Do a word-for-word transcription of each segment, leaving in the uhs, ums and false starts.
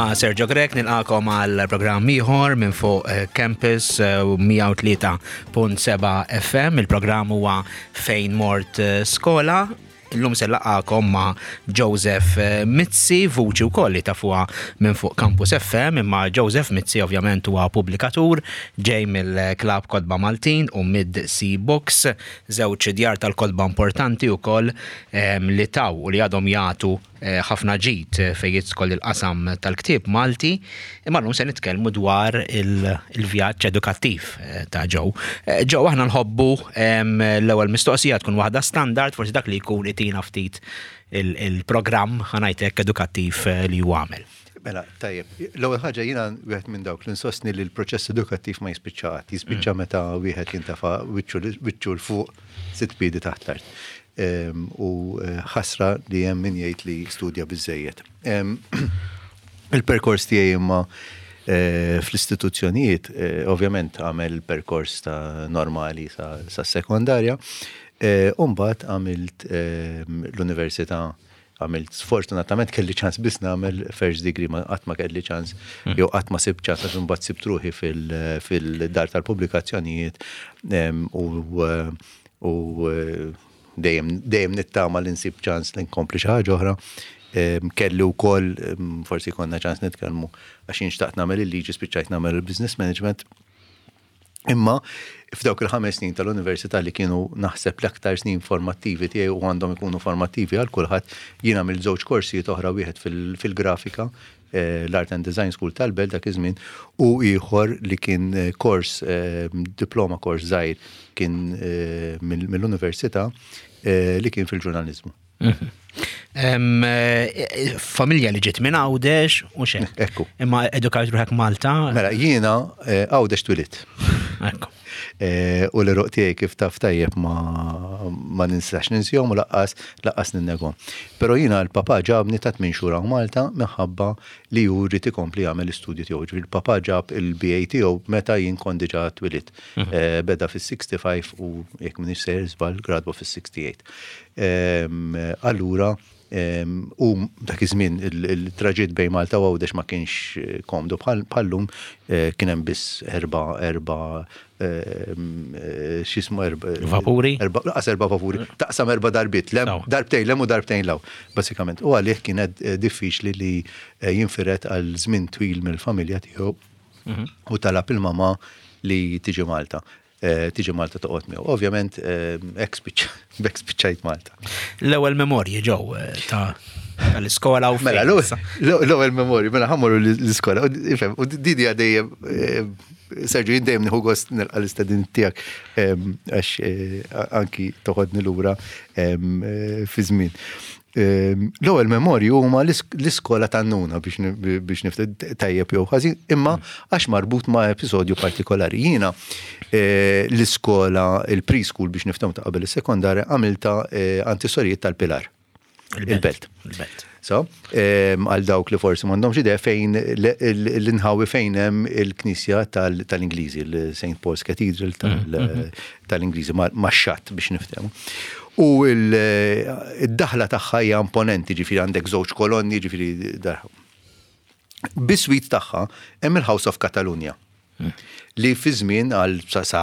Jiena Sergio Grech, nilqagħkom għal programm ieħor minn fuq eh, Campus mija u tlieta punt seba' F M. Il-programm huwa Fejn Mort eh, Skola. Illum se nlaqqagħkom ma' Joseph eh, Mizzi, vuċi wkoll li tafuha minn fuq Campus F M, imma Joseph Mizzi ovvjament huwa pubblikatur ġej mill-Klab Kotba Maltin u Mid Sea Books, żewġ djar tal-kotba importanti wkoll em, li taw u li għadhom jagħtu eh, ħafna ġid fejn jidħol il-qasam tal-ktieb Malti, imma llum se nitkellmu dwar il- il-vjaġġ edukattiv eh, ta' Joe. Eh, Joe, aħna nħobbu em, l-ewwel mistoqsija tkun waħda standard, forsi dak li jkun itina ftit il- il-programm, ħa ngħidlek, edukattiv eh, li hu għamel. Mela, tajjeb. L-ewwel ħaġa, jiena wieħed minn dawk li nsostni li l-proċess edukattiv ma jispiċċa qatt, jispiċċa meta wieħed jintafa' wiċċu 'l fuq sitt piedi taħt l-art. Em, U eh, ħasra li hemm min jgħid li studja biżejjed. Em, Il-perkors tiegħi imma eh, fl-istituzzjonijiet, eh, ovvjament għamel perkors ta' normali sa, sa sekondarja, eh, u mbagħad għamilt eh, l-università. Għamilt, sfortunatament kelli ċans biss nagħmel first degree, ma qatt ma kelli ċans jew qatt ma sibt ċans, għax imbagħad sibt ruħi fil- fil-dar tal-pubblikazzjonijiet em, u u eh, dejjem dejjem nittama li nsib ċans li nkompli xi ħaġa oħra. Em, Kelli wkoll em, forsi konna ċans nitkellmu, għax jien xtaqt nagħmel il-liġi, spiċċajt nagħmel il-business management. Imma f'dawk il-ħames snin tal-università, li kienu naħseb l-aktar snin formattivi tiegħi u għandhom ikunu formattivi għal kulħadd, jien għamilt żewġ korsijiet oħra, wieħed fil- fil-grafika, eh, l-Art and Design School tal-Belt dak iż-żmien, u ieħor li kien eh, kors, eh, diploma kors żgħir kien eh, mill- mill-università eh, li kien fil-ġurnaliżmu. Em, eh, Familja li ġiet minn Għawdex u xejn. Ekku. Imma edukajt ruħek Malta. Mela, jiena eh, Għawdex twelidt. Ekku. Eh, U l-għeruq tiegħi, kif taf tajjeb, ma, ma ninsax ninsihom u lanqas lanqas ninnegahom. Però jiena l-papa ġabni ta' tmien xhur hawn Malta minħabba li hu jrid ikompli jagħmel l-istudju tiegħu. Ġifieri l-papa ġab il-B A tiegħu meta jien kont diġà twelidt. Eh, Beda fis-sitta u ħamsin u jekk m'iniex sejjer żball gradwa fis-sitta u sebgħin. Em, Allura em, u dak iż-żmien il- il-traġitt bejn Malta u Għawdex ma kienx eh, komdu bħal bħallum, eh, kien hemm biss erba erba em, eh, x'ismu, erba Vapuri? Erba, lanqas erba vapuri, taqsam erba darbiet, lem, Sawa. darbtejn 'l hemm u darbtejn 'l hawn, basikament. U għalih kienet eh, diffiċli li eh, jinfired għal żmien twil mill-familja tiegħu u talab il-mama li tiġi Malta. Eh, Tiġi Malta toqgħod miegħu. Ovvjament, eh, hekk spiċċajt Malta. L-ewwel memorji, Joe, eh, ta' tal-iskola u Mela, fejn. l-ewwel memorji, mela ħa mmorru l-iskola. U ifhem, u di di dejjem, eh, Sergio, jien dejjem nieħu gost nilqa' l-istedin tiegħek em, għax eh, anki toħodni lura em, eh, fi żmien. Em, L-ewwel memorji huma l-isk- l-iskola tan-nuna, biex ni- biex nifted tajjeb jew ħażin, imma għax marbut ma' episodju partikolari. Jiena eh, l-iskola, il-preschool, biex niftehmu, ta' qabel is-sekondarja, għamilta eh, għand is-sorijiet tal-Pilar. Il-Belt. Il-Belt. So, em, għal dawk li forsi m'għandhomx idea fejn l- l- l-inħawi fejn hemm il-Knisja tal- tal-Ingliżi, il-Saint Paul's Cathedral tal- tal-Ingliżi, ma' ma' xatt biex niftehmu. U il- id-daħla tagħha hija imponenti, ġifieri għandek żewġ kolonni, ġifieri dar. Biswit tagħha hemm il-House of Catalonia, li fi żmien għal sa, sa,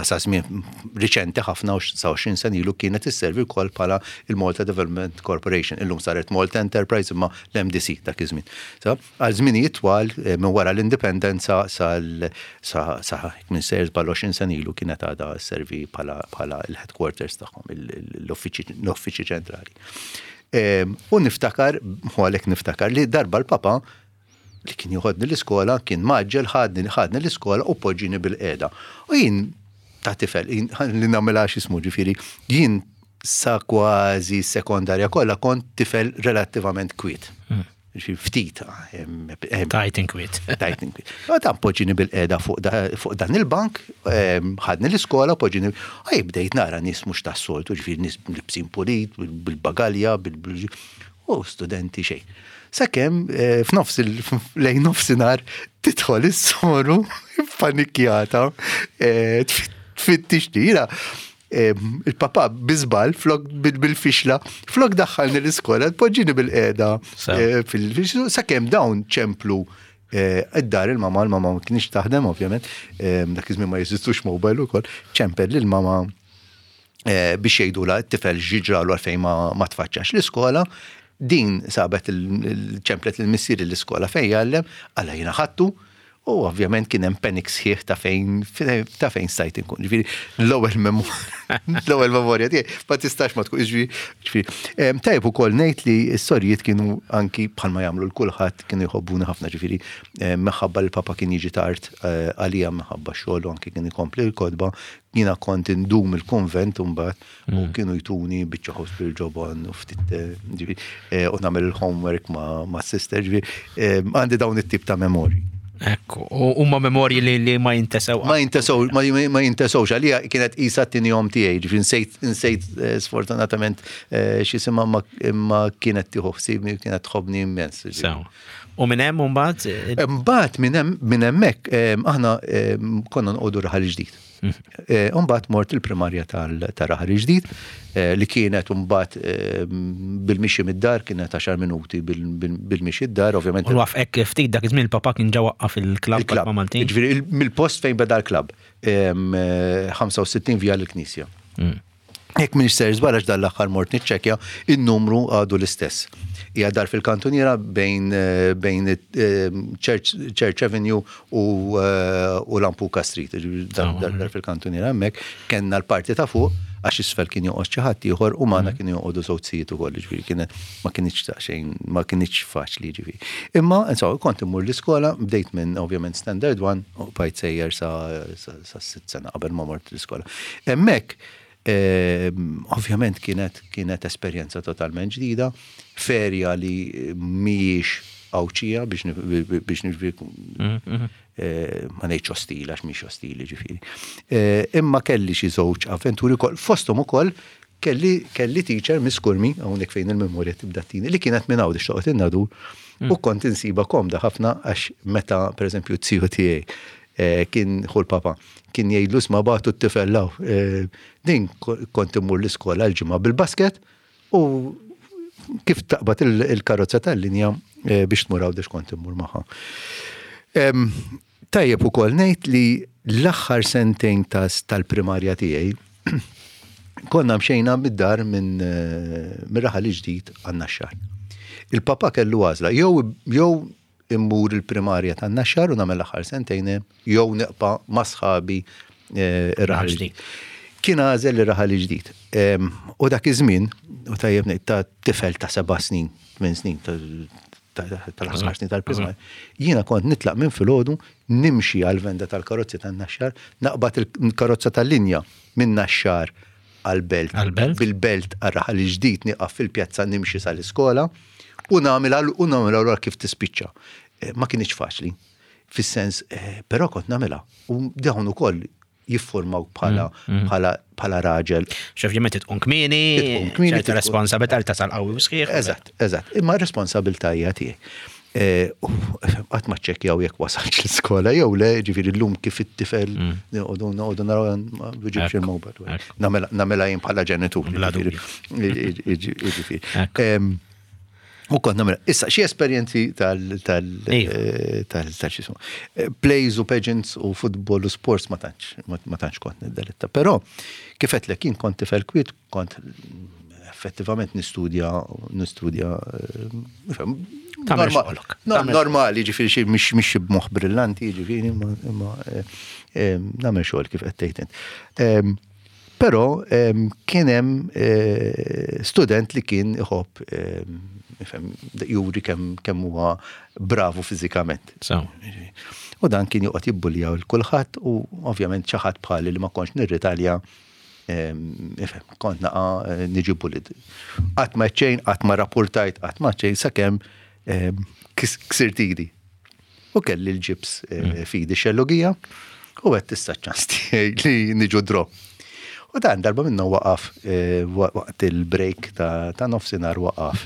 sa żmien riċenti ħafna, u sa għoxrin sena ilu, kienet isservi wkoll bħala il-Malta Development Corporation. Illum saret Malta Enterprise, imma l-M D C dak iż-żmien. So, għal żminijiet twal eh, minn wara l-indipendenza sal sa sa minn sejjer bħal għoxrin sena ilu kienet għadha sservi bħala bħala il-headquarters tagħhom, il- l-uffiċċji ċentrali. Em, U niftakar, u għalhekk niftakar li darba l-papa li kien joħodni l-iskola kien mgħaġġel, ħadni ħadni l-iskola u poġġini bil-qiegħda. U jien ta' tifel, jien li nagħmilha x'ismu, ġifieri, jien sa kważi sekondarja kollha kont tifel relattivament kwiet. Ġifieri ftit. em, em, Tajt inkwiet. Tajt inkwiet. U ta' poġġini bil-qiegħda fuq da- fuq dan il-bank, em, ħadni l-iskola, poġġini, għaj bdejt nara nies mhux tas-soltu, ġifieri nies libsin pulit, bil-bagalja, bil u studenti xejn. Sakemm eh, f'nofs il- lejn nofsinhar tidħol is-soru panikjata, eh, tfittix tira. Il-papa bi żball, flok bil-fixla, flok daħħalni l-iskola, poġġini bilqiegħda fil-fixla, sakemm dawn ċemplu id-dar il-mama, il-mama ma kienx taħdem ovvjament, dak iż-żmien ma jeżistux mobile ukoll, ċempel lill-mama biex jgħidula t-tifel x'ġralu għalfejn ma tfaċċax l-iskola. Din sabet il-ċemplet il-missier l-iskola fejn jgħallem, għalla jiena ħadtu, u ovvjament kien hemm panic sħiħ ta' fejn ta' fejn stajt inkun. Ġifieri l-ewwel l-ewwel memorja tiegħi ma tistax ma tkun, ġifieri. Tajjeb ukoll ngħid li s-sorijiet kienu anki bħalma jagħmlu l kulħadd, kienu jħobbuni ħafna, ġifieri minħabba li papa kien jiġi tard għalija minħabba xogħol u anki kien ikompli l-kotba, jiena kont indum il-konvent mbagħad u kienu jtuni biċċa ħobż bil-ġobon u ftit, ġifieri, u nagħmel il-homework ma' sister, ġifieri għandi dawn it-tip ta' memorji. Ekku, u huma memorji li, li ma jintesew. Ma jintesew, ma, ma jintesewx, għalija kienet isa t-tieni omm tiegħi, ġifieri nsejt, nsejt sfortunatament x'jisimha, imma kienet tieħu ħsiebni, kienet tħobbni immens. Sew. U minn hemm mbagħad? Mbagħad minn hemm, minn hemmhekk aħna konna nqogħdu Raħal Ġdid. Mbagħad mort il-primarja ta' Raħal Ġdid li kienet mbagħad bil-mixi mid-dar, kienet għaxar minuti bil-mixi d-dar, ovvjament. U waqf ftit dak iż-żmien il-papa kien ġa waqqaf il-klabb Il-klabb. Maltin. Ġifieri mill-post fejn beda l-klabb, ħamsa u sittin via l-Knisja. Jekk m'iniex sejjer żball, għax dal-aħħar mort niċċekkja, in-numru għadu l-istess. Hija dar fil-kantuniera bejn, bejn Church, Church Avenue u, u Lampuka Street. Dar, dar, dar fil-kantuniera hemmhekk kellna l-parti ta' fuq, għax isfel kien joqgħod xi ħadd ieħor u magħna kienu joqogħdu żewġ sijiet ukoll, ġifieri kienet ma kienx ta' xejn, ma kienx faċli ġifieri. Imma insomma kont immur l-iskola, bdejt minn ovvjament Standard one u bqajt sejjer sa, sa, sa sitt sena qabel ma mort l-iskola. Hemmhekk ovvjament kienet, kienet esperjenza totalment ġdida, ferja li mhijiex Għawdxija biex biex ma ngħidx ostili għax mhix ostili ġifieri. Imma kelli xi żewġ avventuri wkoll, fosthom ukoll kelli, kelli teacher Miss Kurmi, hawnhekk fejn il-memorja tibda tini, li kienet minn Għawdex toqgħod in-Nadur, u kont insiba komda ħafna għax meta pereżempju t-tiju tiegħi kien ħu l-papa, kien jgħidlu isma' bagħtu t-tifel law. Din kont immur l-iskola l-ġimgħa bil-basket u kif taqbad il-karozza tal-linja biex tmur Għawdex kont immur magħha. Tajjeb ukoll ngħid li l-aħħar sentejn tal-primarja tiegħi konna mxejna mid-dar minn Raħal Ġdid għan-Naxxar. Il-papa kellu għażla, jew jew immur il-primarja tan-Naxxar u nagħmel l-aħħar sentejn, jew neqpa' ma' sħabi ir-Raħal Ġdid. Kien għażel ir-Raħal Ġdid. U dak iż-żmien, u tajjeb ngħid ta' tifel ta' seba' snin, tmien snin, tal-aħħar snin tal-primarja, jiena kont nitlaq minn filgħodu, nimxi għal-venda tal-karozzi tan-Naxxar, naqbad il-karozza tal-linja minn Naxxar għal-Belt, Għal-Belt? bil-Belt għar-Raħal Ġdid, nieqaf fil-pjazza nimxi sal-iskola u nagħmel u nagħmel allura kif tispiċċa. Ma kienx faċli, fis-sens, però kont nagħmilha. U dawn ukoll jiffurmaw bħala bħala bħala raġel. X'ovvjament tqum kmieni, Tqum kmieni, ċerta tqum- responsabilità li tasal qawwi u sħiħ. Eżatt, eżatt. Imma responsabilità hija tiegħi. Qatt ma ċċekkjaw jekk wasalx l-iskola jew le, ġifieri llum kif it-tifel noqogħdu noqogħdu naraw ma biġibx il-mobile. Nagħmilha jien bħala ġenitur. Bla dubju. Ġifieri. U kont nagħmilha. Issa xi esperjenzi tal tal tal tal x'ismu. Plays u pageants u football u sports ma tantx ma tantx kont niddelitta. Però kif għedtlek jien kont tifel kwiet, kont effettivament nistudja, nistudja, Tagħmel xogħolok. normali, ġifieri xi mhix mhix b'moħħ brillanti, ġifieri imma nagħmel xogħol kif qed tgħid int. Però kien hemm student li kien iħobb ifhem, juri kemm kemm huwa bravu fiżikament. U dan kien joqgħod jibbuljaw lil kulħadd u ovvjament xi ħadd bħali li ma kontx nirritalja, ifhem, kont naqa' niġi bullied. Qatt ma xejn, qatt ma rapportajt, qatt ma xejn sakemm ksirt idi. U kelli l-ġibs fidi xellugija u għedt issa ċans tiegħi li niġu draw. U dan darba minnu waqaf waqt il-break ta' nofsinhar waqaf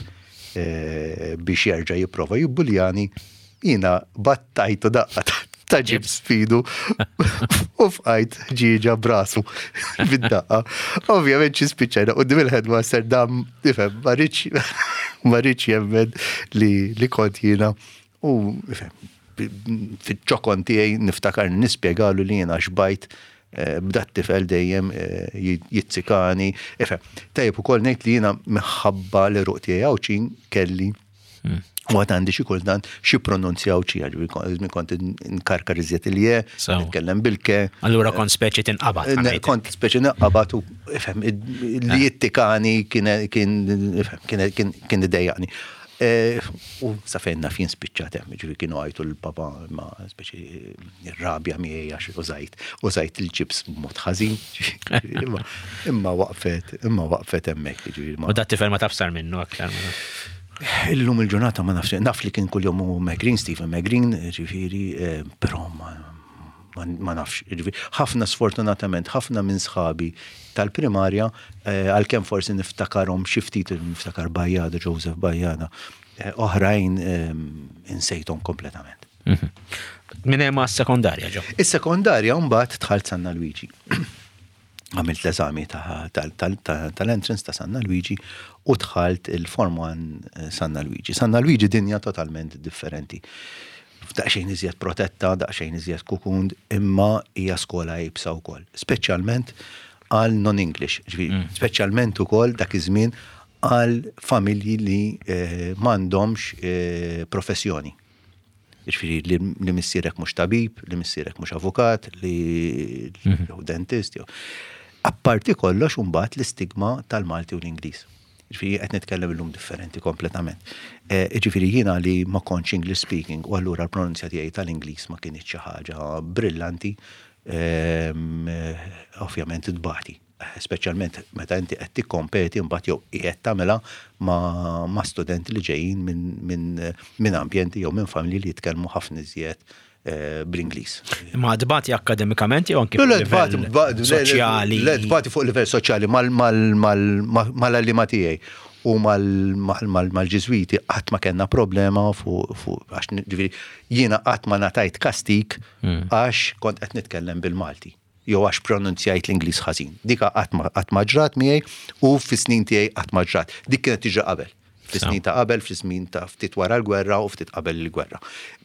biex jerġa' jipprova jibbuljani, jiena battajtu daqqa ta' ġibs f'idu u fqajt ħġieġa b'rasu bid-daqqa. Ovvjament xi spiċċajna quddiem il-headmaster, dam ifhem, ma riedx ma riedx jemmen li, li kont jiena u ifhem, fiċ-ċokon tiegħi niftakar nispjegalu li jiena xbajt eh, b'dat tifel dejjem eh, jizzikani. Ifhem, tajjeb ukoll ngħid li jiena minħabba li ruq tiegħi Għawdxin kelli u għad għandi xi kultant xi pronunzja Għawdxija, ġifieri kont nkarkar iżjed il-je, Sew. nitkellem bil-ke. Allura kont speċi tinqabad. Ne- ħa ngħidlek. Kont speċi naqabad u ifhem, li jittikani kien kien ifhem, kien kien kien idejjaqni. Eh, U sa fejn naf jien spiċċat hemm, ġifieri kienu għajtu l-papa ma speċi rabja miegħi għax użajt użajt il-ġibs b'mod ħażin. ġifieri, Imma imma waqfet, imma waqfet hemmhekk, ġifieri ma- U dat tifel ma tafsar minnu aktar. ma nafx. Illum il-ġurnata ma nafx, naf li kien kull-jum u Megrin, Stephen Megrin, ġifieri, eh, però ma, ma, ma nafx. Ġifieri, ħafna sfortunatament, ħafna minn sħabi tal-primarja, eh, għalkemm forsi niftakarhom xi ftit niftakar Bajada, Joseph Bajada, eh, oħrajn eh, insejthom kompletament. Mhm. Minn hemm għas-sekondarja ġo. Is-sekondarja mbagħad dħalt Sanna Luigi. Għamilt l-eżami ta- tal- tal- ta- tal-entrance ta' Sanna Luigi u dħalt il-Form one Sanna Luigi. Sanna Luigi dinja totalment differenti. Daqsxejn iżjed protetta, daqsxejn iżjed cocooned, imma hija skola iebsa wkoll. Speċjalment għal non-English, ġifieri, speċjalment ukoll dak iż-żmien għal familji li eh, m'għandhomx eh, professjoni. Ġifieri li, li missierek mhux tabib, li missierek mhux avukat, li jew dentist, jew. Apparti kollox mbagħad l-istigma tal-Malti u l-Ingliż. Ġifieri qed nitkellem illum differenti kompletament. Eh, Ġifieri jiena li ma kontx English speaking u allura l-pronunzja tiegħi tal-Ingliż ma kienx xi ħaġa brillanti, ehm, eh, ovvjament tbati. Speċjalment meta inti qed tikkompeti mbagħad jew qiegħed tagħmilha ma', ma' studenti li ġejjin minn min, min ambjenti jew minn familji li jitkellmu ħafna iżjed eh, bl-Ingliż. Imma tbati akkademikament jew anki Le, le, fuq livell tbati, le, le, soċjali. Le, tbati fuq livell soċjali mal-għalliema tiegħi u mal-Ġiżwiti qatt ma kellna problema fuq fuq għax ġifieri jiena qatt ma ngħatajt kastik għax kont qed nitkellem bil-Malti jew għax pronunzjajt l-Ingliż ħażin. Dika qatt ma qatt ma ġrat miegħi u fis-snin tiegħi qatt ma ġrat. Dik kienet tiġri qabel. Fis-snin ta' qabel, fis-snin ta' ftit wara l-gwerra u ftit qabel il-gwerra.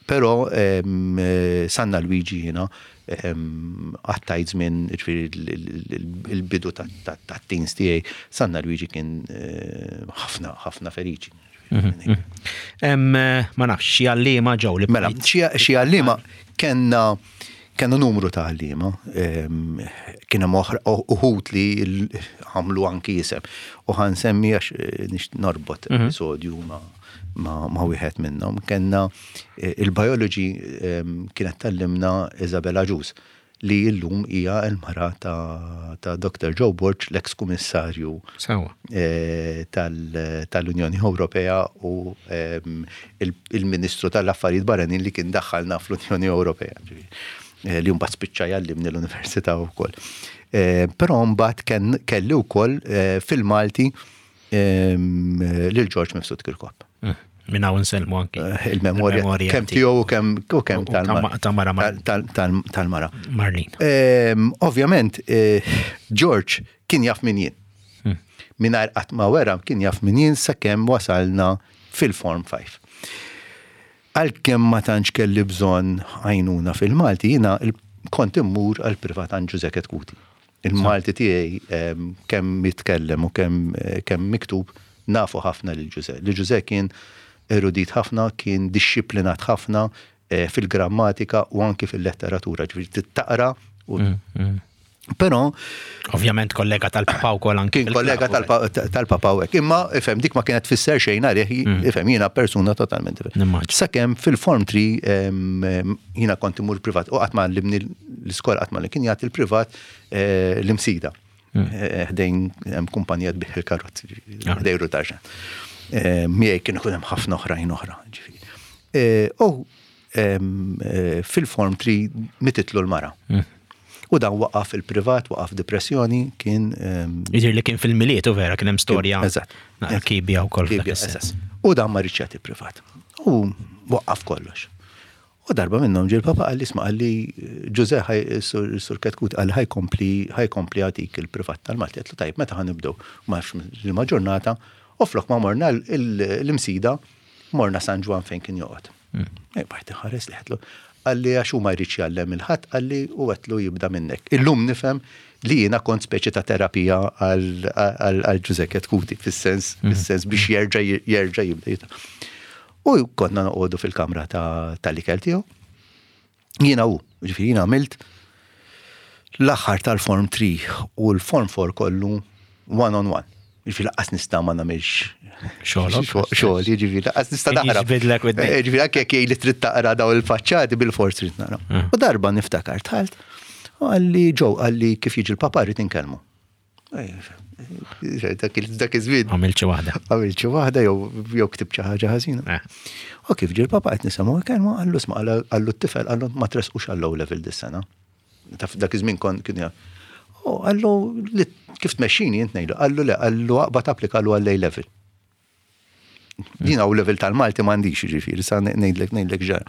Però em, eh, Sanna Luigi jiena em, għaddejt żmien ġifieri il-bidu ta' teens tiegħi, Sanna Luigi kien eh, ħafna ħafna feriċi. Em, Ma nafx, xi għalliema ġew li Mela, xi xi għalliema kellna kellna numru ta' għalliema, em, kien hemm oħra- uħud li l- għamlu anki isem. U ħa nsemmi għax eh, nix norbot episodju ma' ma' ma' wieħed minnhom. Kellna eh, il-biology em, kienet tgħallimna Isabella Ġus li illum hija l-mara ta', ta' Doctor Joe Borg, l-ex-kummissarju Sewa. eh, tal- tal-Unjoni Ewropea u em, il- il-Ministru tal-Affarijiet Barranin li kien daħħalna fl-Unjoni Ewropea. Ġifieri, eh, li mbagħad spiċċa jgħallimni l-Università wkoll. Eh, Però mbagħad ken- kelli wkoll eh, fil-Malti em, lil George Mifsud Kirkop. Mm. Minn hawn nsellmu anki. Eh, Il-memorja kemm tiegħu u kemm u kemm U ta' ta' mara Mar- tal- tal- tal-mara. Marlene. Ehm, Ovvjament, eh, George kien jaf min jien. Mingħajr qatt ma wera kien jaf min jien sakemm wasalna fil-Form five. Għalkemm ma tantx kelli bżonn għajnuna fil-Malti, jiena il- kont immur għal privat għand Ġuże Ketkuti. Il-Malti tiegħi ehm, kemm mitkellem u kemm eh, kemm miktub nafu ħafna lil Ġuże. Li Ġuże kien erudit ħafna, kien dixxiplinat ħafna eh, fil-grammatika u anki fil-letteratura, ġifieri taqra u Però Ovvjament kollega tal-papa wkoll anki. kien kollega fil-klabb, tal-papa u hekk. Imma ifhem dik ma kienet tfisser xejn għalih, ifhem jiena persuna totalment differenti. Nimmaġina. Sakemm fil-Form three em, em, jiena kont imur privat u qatt ma għallimni l-iskola qatt ma li kien jagħti l-privat eh, l-Imsida. Eh, Ħdejn hemm kumpanija tbigħ il-karozzi, Ah. ħdejn Rutaġan. Miegħi kien ikun hemm ħafna oħrajn oħra, ġifieri. Eh, U em, eh, fil-Form three mititlu l-mara. U dan waqaf il-privat, waqaf depressjoni, kien em, Jiġri li kien fil-Milied u vera kien hemm storja. Eżatt. Naqra kibja wkoll f'dak Kibja, is-sens. eżatt. U dan ma riedx jagħti privat. U waqaf kollox. U darba minnhom ġie l-papa qalli, "Isma'," qalli, "Ġuże, sur Chetcuti qalli ħa jkompli ħa jkompli jagħtik il-privat tal-Malti." Għedtlu, "Tajb, meta ħa nibdew?" Ma liema ġurnata, u flok ma morna l-Imsida, morna San Ġwann fejn kien joqgħod. Hmm. Bajt ħares li għedtlu. Qalli għax hu ma jridx jgħallem lil ħadd, qalli, u għedtlu jibda minnek. Illum nifhem li jiena kont speċi ta' terapija għal Ġuże Chetcuti, fis-sens, hmm. fis-sens biex jerġa' jerġa' jibda. U konna noqogħdu fil-kamra tal-ikel tiegħu. Jiena u, ġifieri jiena għamilt l-aħħar tal-Form tlieta u l-Form erba' kollu one on one. Ġifieri lanqas nista' ma nagħmilx xogħol, ġifieri lanqas nista' naqra. Eh, ġifieri anke jekk li trid taqra daw il-faċċati, bil-fors trid naqra. Mm. U darba niftakar dħalt, u qalli, "Ġew," qalli, "kif jiġi l-papa rrid inkellmu." Eh, dak iż-żmien. Għamilt xi waħda. Għamilt xi waħda jew jew ktibt xi ħaġa ħażina. Eh. U kif ġie l-papa qed nisimgħu kelma, qallu, "Isma'," qallu, "t-tifel," qallu, "ma tresqux għall-O level dis-sena." Taf dak iż-żmien kon kien. U qallu, "Kif tmexxini int ngħidu?" Qallu, "Le," qallu, "aqbad applikalu għall-A level." Jien O level tal-Malti m'għandix, ġifieri, sa ngħidlek ngħidlek ġara.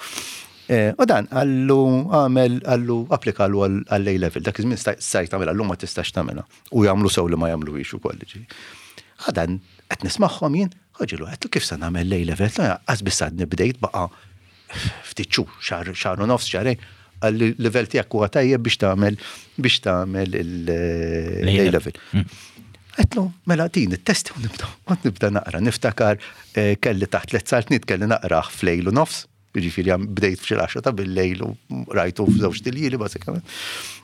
Eh, u dan qallu għamel, qallu applikalu għall-A level, dak iż-żmien stajt tagħmilha, llum ma tistax tagħmilha. U jagħmlu sew li ma jagħmluhiex ukoll. Għadan qed nismagħhom jien, ħoġilu, għedtlu, "Kif sa nagħmel l-A level? Lanqas biss għadni bdejt, baqa' ftit xhur, xahar, xahar u nofs, xahrejn." Qalli, "Level tiegħek huwa tajjeb biex tagħmel biex tagħmel l-A level." Għedtlu, "Mela din it-testi u nibda, u nibda naqra." Niftakar eh, kelli taħt tliet saltniet, kelli naqra f'lejl u nofs, ġifieri bdejt f'xi l ta' bil-lejl u rajtu f'żewġ tiljieli bażikament.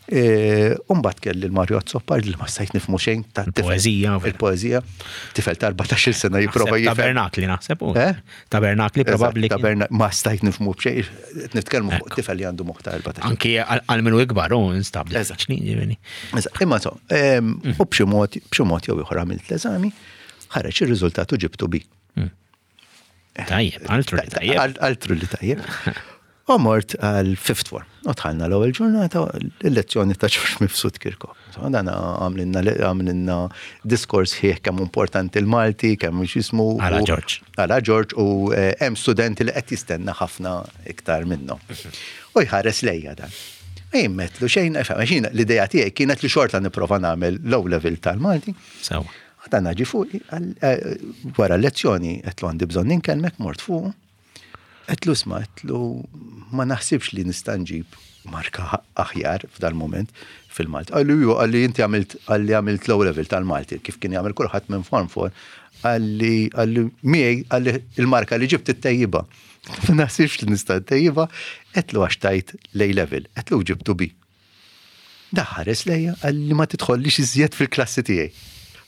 E, Umbat kelli l-Mario Azzopardi li ma stajt nifhmu xejn ta' tifel. Il-poeżija. Il-poeżija. Tifel ta' erbatax-il sena jipprova jifhem. Tabernakli naħseb. u. Eh? Tabernakli probabbli. Eżatt, taberna- Ma stajt nifhmu b'xejn, qed nitkellmu fuq tifel li għandu moħħ ta' erbatax. Anki għal minnu ikbar, u instab. Eżatt. Ġifieri. Eżatt, imma so, em, u b'xi mod, b'xi mod jew ieħor għamilt l-eżami, ħareġ ir-riżultat u ġibtu B. Tajjeb, altru li tajjeb. Al- Altru li tajjeb. U mort għal fifth form. U dħalna l-ewwel ġurnata, l-lezzjoni ta' Ġorġ Mifsud Kirkop. So, dan għamlilna għamlilna diskors ħieħ kemm importanti il-Malti, kemm x'jismu. Għala u- Ġorġ. Għala Ġorġ, u eh, hemm studenti li qed jistenna ħafna iktar minnhom. U jħares lejja dan. Jimmetlu xejn, xejn, l-idea tiegħi kienet li xorta nipprova nagħmel l-O level tal-Malti. Sewa. Dan ġie fuq, eh, wara l-lezzjoni, għedtlu, "Għandi bżonn inkellmek." Mort fuq. Għedtlu, "Isma'," għedtlu, "ma naħsibx li nista' nġib marka aħjar f'dal moment fil-Malti." Qalli, "Ju," qalli, "inti għamilt," qalli, "għamilt l-O level tal-Malti, kif kien jagħmel kulħadd minn form four." Qalli, qalli, "Miegħi," qalli, "il-marka li ġibt ittejjibha." "Ma naħsibx li nista' ntejjibha," għedtlu, "għax tajt l-A level." Għedtlu, "Ġibtu B." Daħares lejja, qalli, "Ma tidħollix iżjed fil-klassi tiegħi."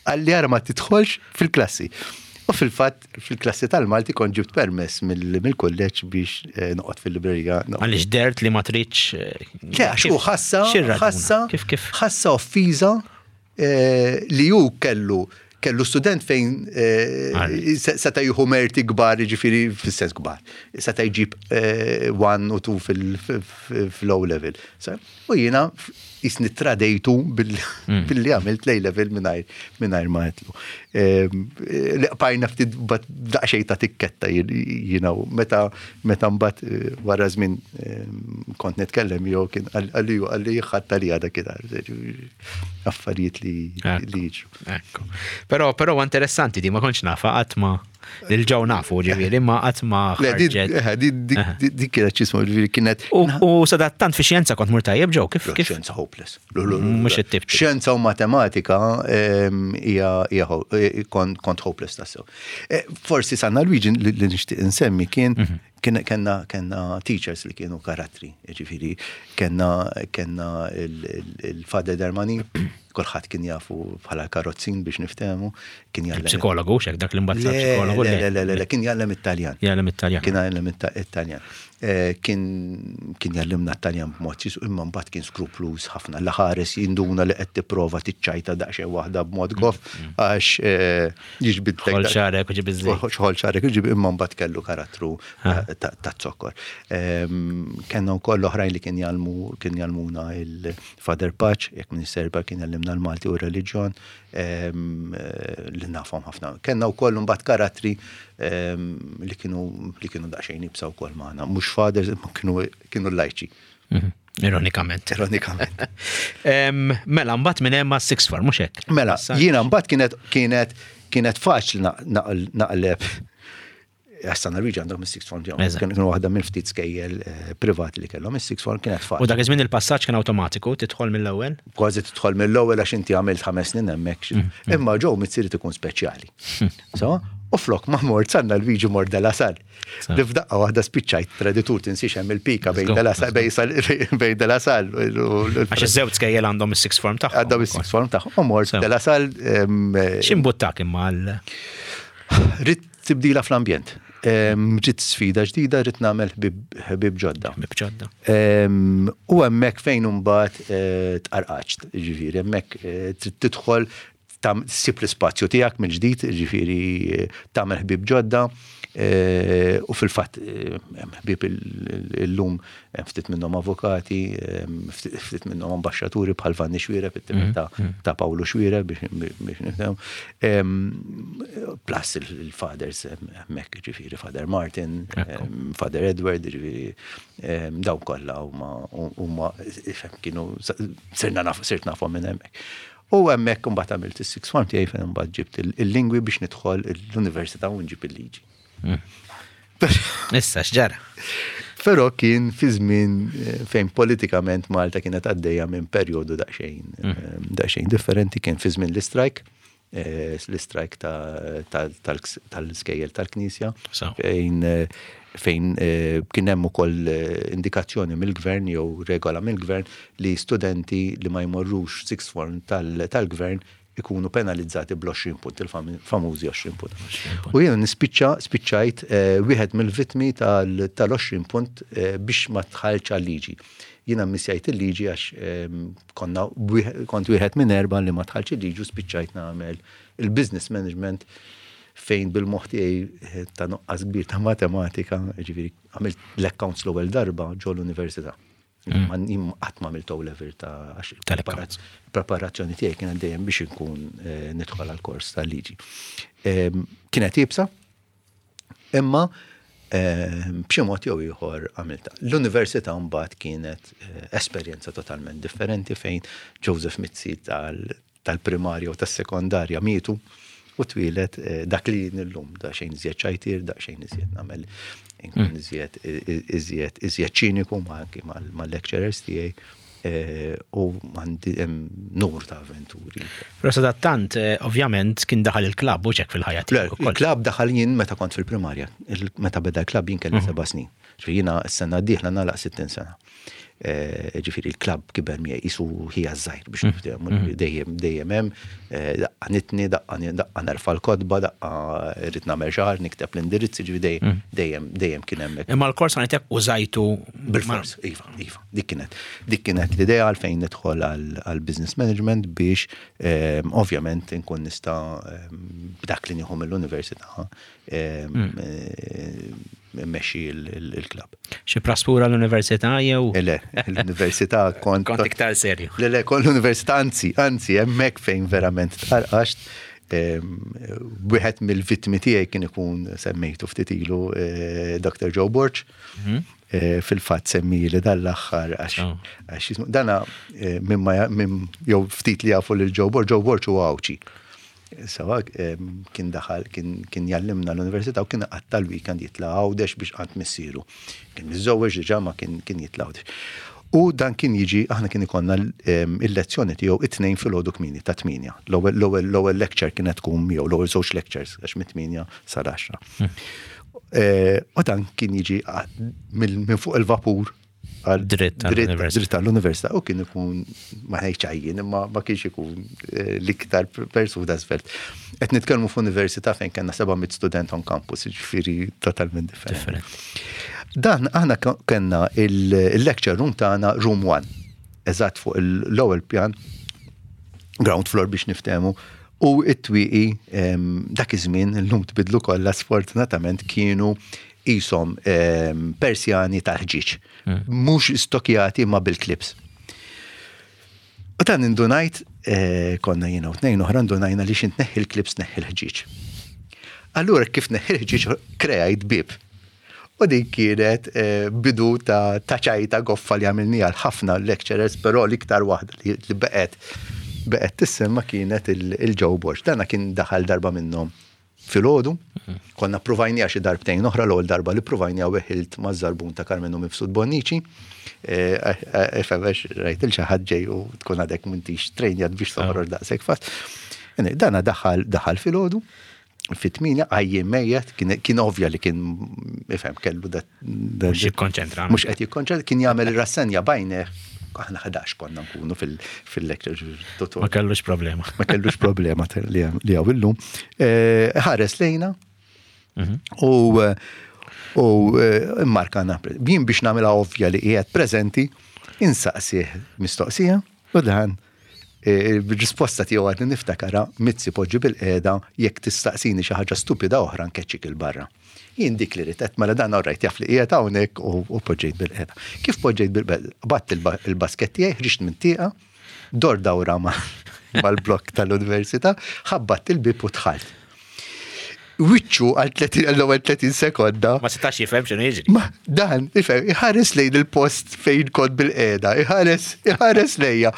Qalli, "Ara ma tidħolx fil-klassi." U fil-fatt, fil-klassi tal-Malti kont ġibt permess mill- mill-kulleġġ biex eh, noqgħod fil-librerija. Għaliex dert li ma tridx. eh, Le, għax hu kif- ħassa, x'ir-raġuna? ħassa, Kif kif? ħassa offiża eh, li hu kellu kellu student fejn eh, Għalli. se- seta' jieħu merti kbar, ġifieri fis-sens kbar. Seta' jġib eh, one u two fil-O level. Sa- U jiena jisni tradejtu bil- Hmm. billi għamilt l-A level mingħajr mingħajr ma għedtlu. Em, eh, Li qbajna ftit bat daqsxejn ta' tikketta jiena u meta meta mbagħad eh, wara żmien em, kont nitkellem jew kien qalli qalli ħadd li għada kien affarijiet li Ekku. li jiġru. Ekku. Però però interessanti di, ma kontx nafa, qatt ma lil Joe nafu ġifieri, ma qatt ma Le, di- ħarġet. eh, di- di- di- Dik kienet ċismu, ġifieri kienet U u sadattant fi xjenza kont mur tajjeb, Joe, kif kif? Xjenza hopeless. Lu, lu, lu, lu. Mhux it-tip. Xjenza u matematika em, hija hija ho- eh, kont kont hopeless tassew. Eh, Forsi Sanna Luigi li li nixtieq insemmi kien Mhm. kien kellna kellna teachers li kienu karattri, ġifieri kellna kellna il-Father Dermani, kulħadd kien jafu bħala karozzin biex niftehmu, kien jgħallem. Psikologu, xek dak li mbagħad sar Le, psikologu. le, le, le, le, le, kien jgħallem Italjan. Jgħallem Italjan. Kien jgħallem Italjan. Eh, Kien kien jgħallimna Italjan b'mod ċis, imma mbagħad kien skrupluż ħafna. L-ħares jinduna li qed tipprova tiċċajta daqsxejn waħda b'mod goff għax eh, jiġbidlek. Ħol xagħrek u ġib iż-żejt. Xħol xagħrek u ġib, imma mbagħad kellu karattru ta' ta' zokkor. Ehm, Kellna wkoll oħrajn li kien jgħallmu kien jgħallmuna il-Father Patch, jekk minn serba kien jgħallimna jallimna l-Malti u r-reliġjon, li nafhom ħafna. Kellna wkoll mbagħad karattri li kienu li kienu daqsxejn iebsa wkoll magħna, mhux fathers, imma kienu kienu lajċi. Mhm. Ironikament. Ironikament. Mela, mbagħad minn hemm sixth form, mhux hekk? Mela, jiena mbagħad kienet kienet kienet faċli naqleb. San Alwiġi għandhom is-sixth form tiegħhom. Kienu waħda minn ftit skejjel eh, privati li kellhom is-sixth form, kienet faċli. U dak iż-żmien il-passaġġ kien awtomatiku, tidħol mill-ewwel? Kważi tidħol mill-ewwel għax inti għamilt ħames snin hemmhekk. Mm, mm. Imma Joe Mizzi jrid ikun speċjali. So, u flok ma mort San Alwiġi mort De La Salle. Li f'daqqa waħda spiċċajt traditur, tinsiex hemm il-pika bejn De La Salle bejn De La Salle. Għax iż-żewġ skejjel għandhom is-sixth form tagħhom. Għandhom is-sixth form tagħhom. U mort De La Salle. X'imbuttak imma għal? Ridt tibdila fl-ambjent. Ridt sfida ġdida, ridt nagħmel ħbib ġodda. Ħbib ġodda. U hemmhekk fejn imbagħad eh, tqarqaċt, ġifieri, hemmhekk eh, trid tidħol ssib l-ispazju tiegħek mill-ġdid, ġifieri tagħmel ħbib ġodda. Eh, u fil-fatt ħbib illum ftit minnhom avukati, ftit minnhom ambaxxaturi bħal Vanni Xuereb, it-tifel mm, mm. ta' Pawlu Xuereb biex nifhem. Plus il-fathers hemmhekk, ġifieri Father Martin, Father Edward, ġifieri dawn kollha huma kienu sirna naf sirt nafhom minn hemmhekk. U hemmhekk imbagħad għamilt is-sixth form tiegħi fejn imbagħad ġibt il-lingwi biex nidħol l-università u nġib il-liġi. Mm. Issa x'ġara? Però kien fi żmien eh, fejn politikament Malta kienet għaddejja minn perjodu daqsxejn mm. eh, daqsxejn differenti, kien fi żmien l-istrajk, eh, l-istrajk tal-skejjel tal-Knisja, fejn fejn kien hemm ukoll indikazzjoni mill-gvern jew regola mill-gvern li studenti li ma jmorrux sixth form tal-gvern ikunu penalizzati bl-għoxrin punt, il-famużi għoxrin punt. U jiena nispiċċa, spiċċajt eh, wieħed mill-vittmi tal-għoxrin punt eh, biex ma tħalċ għal-liġi. Jiena missjajt il-liġi għax ehm, konna kont wieħed minn erba' li ma tħalċ il-liġi u spiċċajt nagħmel il-business management fejn bil-moħħ tiegħi eh, ta' nuqqas kbir ta' matematika, ġifieri għamilt l-accounts l-ewwel darba ġo l-università. Mm. Qatt ma għamilt level ta' preparazzjoni tiegħi kienet dejjem biex inkun eh, nidħol għal kors tal-liġi. Kienet iebsa, imma b'xi mod jew ieħor għamilta. L-università mbagħad kienet eh, esperjenza totalment differenti fejn Joseph Mizzi tal-primarja u tas-sekondarja mietu u twieled eh, dak li illum, da xejn iżjed ċajtir, da xejn iżjed nagħmel inkun mm. iżjed iżjed iżjed ċiniku ma anki mal-lecturers tiegħi eh, u għandi numru ta' avventuri. Però sadattant, eh, ovvjament, kien daħal il-klabb u ċek fil-ħajja tiegħek. Il-klabb daħal jien meta kont fil-primarja. Meta beda l-klabb jien kelli mhm. seba' snin. Ġifieri jiena s-sena d-dieħla nagħlaq sittin sena. Eh, ġifieri il-klabb kiber miegħi qisu ħija żgħir biex mm. niftehmu mm. dejjem dejjem hemm eh, daqqa nitni, daqqa daqqa nerfa' l-kotba, daqqa rrid nagħmel xahar nikteb l-indirizzi, ġifieri dejjem mm. dejjem dejjem kien hemmhekk. Imma l-kors għanitek użajtu bil-fors, iva, iva. Dik kienet dik kienet l-idea għalfejn nidħol għal business management biex eh, ovvjament inkun nista' b'dak li nieħu mill-università mmexxi il-klabb. Xi praspura l-università jew? Le, l-università kont. Kont iktar serju. Le, le, kont l-università, anzi, anzi, hemmhekk fejn verament tqarqaxt. Wieħed mill-vittmi tiegħi kien ikun semmejtu ftit ilu eh, Doctor Joe Borg. Mhm. Eh, fil-fatt semmi li dal-aħħar għax oh. għax dana eh, minn jew ftit li jafu lil Joe Borg, Joe Borg huwa Għawdxi. Sawa kien daħal, kien jallimna l-università u kien qatta l-weekend jitla' Għawdex biex għand missieru. Kien miżżewweġ diġà ma kien jitla' Għawdex. U dan kien jiġi, aħna kien ikollna il-lezzjoni tiegħu it-tnejn filgħodu kmieni ta' tmienja. L-ewwel lecture kienet tkun miegħu, l-ewwel żewġ lectures għax mit-tmienja sal-għaxra. Hmm. Eh, u dan kien jiġi minn fuq il-vapur dritt dritt għall-università u kien ikun ma ngħidx għajjien imma ma kienx ikun eh, l-iktar persuna żvelt. Qed nitkellmu f'università fejn kellna seba' mitt student on campus, ġifieri totalment differenti. Dan aħna kellna il-lecture room tagħna room one, eżatt fuq l-ewwel pjan, ground floor biex niftehmu, u it-twieqi dak iż-żmien, illum tbidlu kollha sfortunatament, kienu qishom persjani tal-ħġieġ. Hmm. Mhux stokjati ma bil-clips. U dan indunajt Eh, konna jiena u tnejn oħra ndunajna li x'ħin tneħħi l-clips tneħħi l-ħġieġ. Allura kif neħħi l-ħġieġ kreajt bib. U din kienet eh, bidu ta' ċajta goffa li għamilni għal ħafna lecturers, però l-iktar waħda li beqet beqet tissemma kienet il-Joe Borg. Dana kien daħal darba minnhom filgħodu, konna provajnija xi darbtejn oħra. L-ewwel darba li provajnija weħilt maż-żarbun ta' Karmenu Mifsud Bonnici. Ifevex rajt il xi ħadd ġej u tkun għadek m'intix trejnjat biex toħroġ daqshekk fast. Dana daħal daħal filgħodu, fit-tmienja, għajjien mejjet, kien ovvja li kien ifhem kellu da. Mhux jikkonċentra. Mhux qed jikkonċentra, kien jagħmel ir-rassenja bajneh. Aħna ħdax konna nkunu fil-lecture. Ma kellux problema. Ma kellux problema li hawn illum. Eh, ħares lejna mhm. u u eh, markana. Jien biex nagħmilha ovvja li qiegħed preżenti, insaqsih mistoqsija u dan eh, il-risposta tiegħu għadni niftakara: "Mizzi, poġġi bilqiegħda, jekk tistaqsini xi ħaġa stupida oħra nkeċċik 'il barra." Jien dik li ritet, mela dan rajt jaf li qiegħed hawnhekk u poġġejt bilqiegħda. Kif poġġejt bilqiegħda, qbadt il-basket tiegħi, ħriġt minn tieqa, dor dawra mal-blok tal-università, ħabbat il-bib u dħalt. Wiċċu għal l-ewwel tletin sekonda. Ma setax jifhem x'inhu jiġri. Ma dan, ifhem, iħares lejn il-post fejn kont bilqiegħda, iħares, iħares lejja.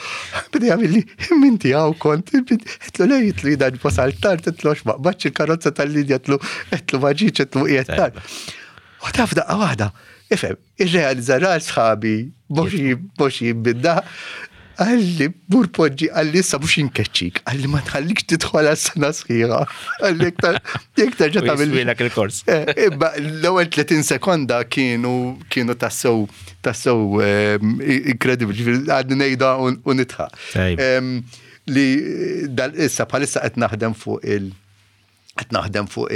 Beda jagħmilli, "Minti hawn kont?" Għedtlu le, għedtlu dan wasalt tard, għedtlu ma qbadtx il-karozza tal-linja, għedtlu għedtlu ma ġietx, għedtlu qiegħed tard. U taf daqqa waħda, ifhem, irrealizza ra sħabi, mhux jibbidda, qalli, "Mur poġġi," qalli, "issa mhux inkeċċik," qalli, "ma tħallikx tidħol għas-sena sħiħa." Qalli, "Jekk terġa' tagħmel." Il-kors. Eh, imma l-ewwel tletin sekonda kienu kienu tassew tassew inkredibbli, għadni ngħidha u nidħak. Li dal issa bħalissa qed naħdem fuq il- qed naħdem fuq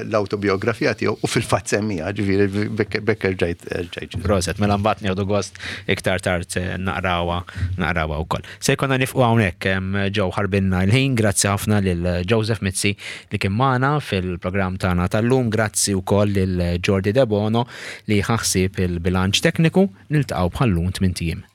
l-autobiografija tiegħu u fil-fatt semmija, ġifieri bekker ġajt ġajt. Proset, mela mbagħad nieħdu gost iktar tard eh, naqrawha naqrawha wkoll. Se jkollna nieqfu hawnhekk ġew ħarbinna l-ħin, grazzi ħafna lil Joseph Mizzi li kien magħna fil-programm tagħna tal-lum, grazzi wkoll lil Jordi Debono li ħa ħsieb il-bilanċ tekniku, niltaqgħu bħal-lum tmint ijiem.